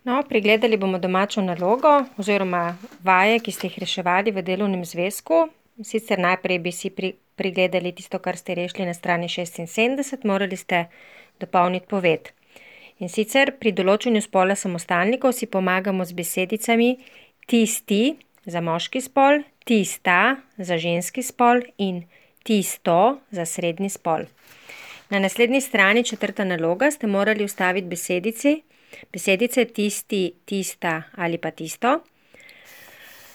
No, pregledali bomo domačo nalogo oziroma vaje, ki ste jih reševali v delovnem zvezku. Sicer najprej bi si pregledali tisto, kar ste rešili na strani 76, morali ste dopolniti poved. In sicer pri določenju spola samostalnikov si pomagamo z besedicami tisti za moški spol, tista za ženski spol in tisto za srednji spol. Na naslednji strani 4. naloga ste morali vstaviti besedice tisti, tista ali pa tisto.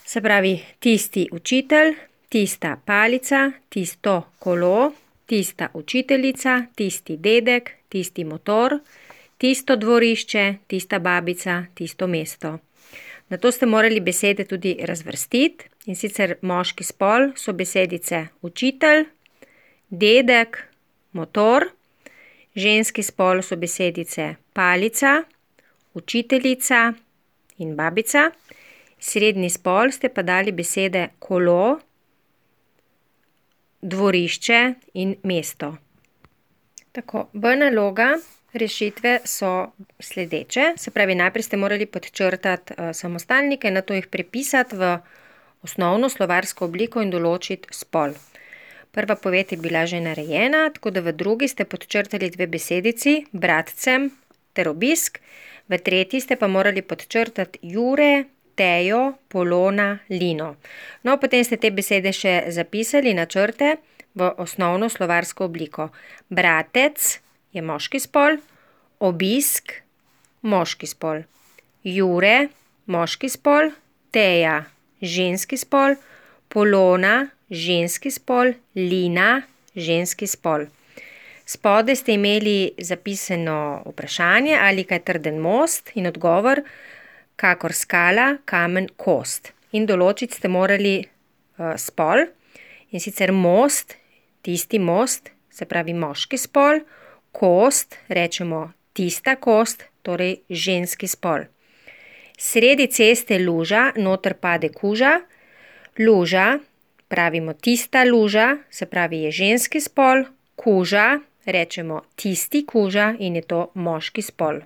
Se pravi tisti učitelj, tista palica, tisto kolo, tista učiteljica, tisti dedek, tisti motor, tisto dvorišče, tista babica, tisto mesto. Nato ste morali besede tudi razvrstiti, in sicer moški spol so besedice učitelj, dedek, motor, ženski spol so besedice palica, učiteljica in babica, srednji spol ste pa dali besede kolo, dvorišče in mesto. Tako, B naloga rešitve so sledeče, se pravi najprej ste morali podčrtati samostalnike, nato jih prepisati v osnovno slovarsko obliko in določiti spol. Prva poved je bila že narejena, tako da v drugi ste podčrtali dve besedici, bratcem ter obisk, v tretji ste pa morali podčrtati Jure, Tejo, Polona, Lino. No, potem ste te besede še zapisali na črte v osnovno slovarsko obliko. Bratec je moški spol, obisk moški spol, Jure moški spol, Teja ženski spol, Polona ženski spol, Lina ženski spol. Spodaj ste imeli zapisano vprašanje, ali kaj trden most in odgovor, kakor skala, kamen, kost. In določiti ste morali spol, in sicer most, tisti most, se pravi moški spol, kost, rečemo tista kost, torej ženski spol. Sredi ceste luža, noter pade kuža, luža, pravimo tista luža, se pravi je ženski spol, kuža, rečemo tisti kuža in je to moški spol.